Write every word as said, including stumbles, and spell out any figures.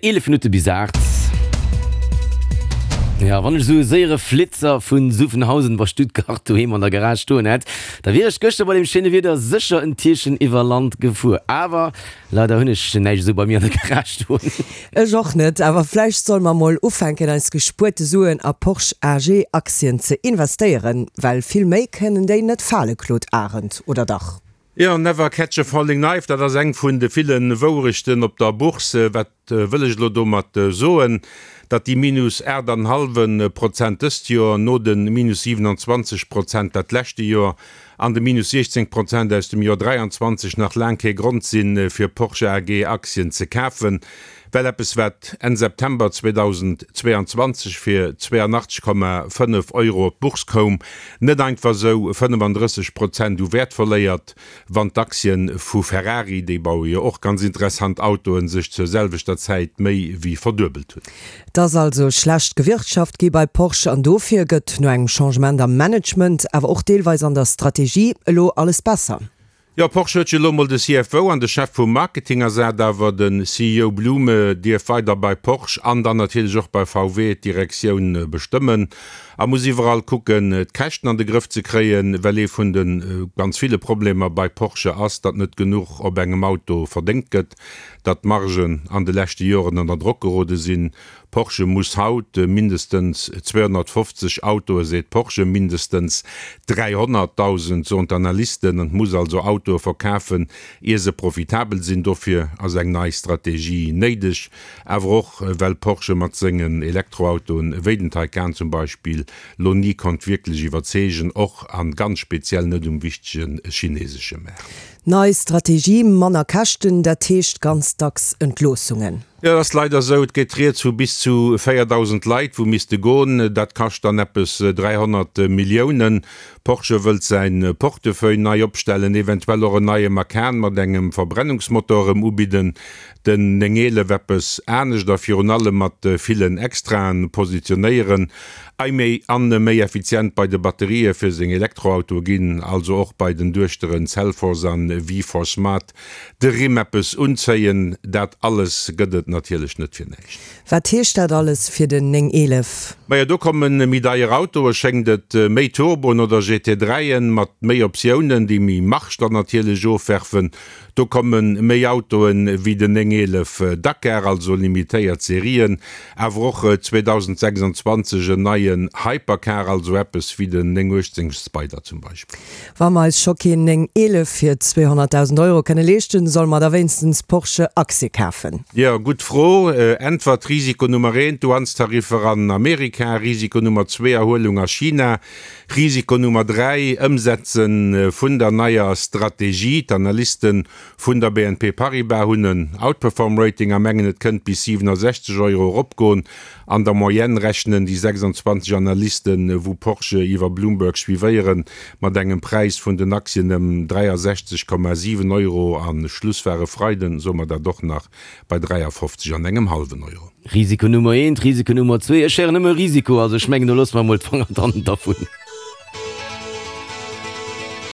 eelef Minutte bis aacht. Ja, wann ech esou e séiere Flitzer vun Zuffenhausen bei Stuttgart doheem an der Garage stoen hätt, da wier ech gëschter bei deem schéine Wieder sécher en Tierchen iwwer Land gefuer. Awer leider hunn ech näischt esou bei mir an der Garage stoen. Ech och net, awer vläicht solle mer mol ufänken eis gespuerte Suen a Porsche A G Aktien ze investéieren, well vill méi kënnen déi net fale, Claude Arend, oder dach? Jo, never catch a falling knife, dat ass eng vun de ville Wourechten op der Bourse. Wat wëll ech elo domat soen? Datt déi minus aacht an hallwe Prozent dëst Joer, no de minus siwenanzwanzeg Prozent dat leschte Joer an de minus siechzéng Prozent aus dem Joer dräianzwanzeg nach laang kee Grond sinn, fir Porsche A G Aktien ze kafen. Well eppes, wat Enn September zweedausendzweeanzwanzeg fir zweeanachtzeg Komma fënnef Euro op d'Bourse koum, net einfach esou fënnefandrësseg Prozent u Wäert verléiert, wann d'Aktien vu Ferrari, déi baue jo och ganz interessant Autoen, sech zur selwechter Zäit méi wéi verduebelt hunn. Et ass also schlecht gewirtschaft gi bei Porsche an dofir gëtt no engem Changement am Management, awer och deelweis an der Strategie elo alles besser. Jo, Porsche huet jo elo mol de C F O an de Chef vum Marketing ersat, awer de C E O Blume dierf weider bei Porsche an dann natierlech och bei V W d'Direktioun bestëmmen a muss iwwerall kucken, d'Käschten an de Grëff ze kréien, well ee vun de ganz ville Problemer bei Porsche ass, datt net genuch op engem Auto verdéngt gëtt, datt d'Margen an de leschte Joren ënner Drock gerode sinn. Porsche muss haut mindestens zweehonnertfofzeg Autoe, seet Porsche, mindestens dräihonnertdausend, soen d'Analysten, an muss also Autoe verkafen, ier se profitabel sinn. Dofir ass eng nei Strategie néideg, awer och well Porsche mat sengen Elektroautoen, wéi den Taycan zum Beispill, lo ni konnt wierklech iwwerzeegen, och a ganz speziell net um wichtege chinesesche Maart. Nei Strategie, manner Käschten, dat heescht ganz dacks Entloossungen. Jo, dat ass leider esou. Et geet rieds vu bis zu véierdausend Leit, wou misste goen. Dat kascht dann eppes dräihonnert Milliounen. Porsche wëllt säin Portefeuille nei opstellen, eventuell och en neie Macan mat engem Verbrennungsmotor erëm ubidden, den néng eelef eppes anescht a virun allem mat villen Extraen positionéieren, a méi an méi effizient bei de Batterië fir seng Elektroautoe ginn, also och bei den Duechteren Cellforce an V four Smart de Rimm eppes unzéien. Dat alles gëtt et natierlech net fir näischt. Wat heescht dat alles fir den néng eelef? Majo, do komme méi deier Autoe, schéngt et, méi Turboen oder G T dräien mat méi Optiounen, déi méi Marge dann natierlech ofwerfen. Do komme méi Autoen wéi den néng eelef Dakar, also limitéiert Serien, awer och zweedausendsechsanzwanzeg en neien Hypercar, also eppes wéi den néng uechtzéng Spyder zum Beispill. Wa mer eis scho keen néng eelef fir zweehonnertdausend Euro kënne leeschten, solle mer da wéinstens Porsche Aktie kafen? Jo, gutt Fro. Äntwert, Risiko Nummer eent, Douanestariffer an Amerika. Risiko Nummer zwee, Erhuelung a China. Risiko Nummer dräi, Ëmsetze vun der neier Strategie. D'Analyste vun der B N P Paribas hunn en Outperform-Rating a mengen, et kënnt bis siwenesechzeg Euro eropgoen. An der Moyenne rechnen déi sechsanzwanzeg Analysten, wou Porsche iwwer Bloomberg suivéieren, mat engem Präis vun den Aktien ëm dräiasechzeg Komma siwen Euro. A Schluss war e Freiden, soe mer dat och nach, bei dräiafofzeg an engem hallwen Euro. Risiko Nummer eent, Risiko Nummer zwee, ech héieren nëmme Risiko, also ech mengen, do loosse mer emol d'Fanger dann dervun.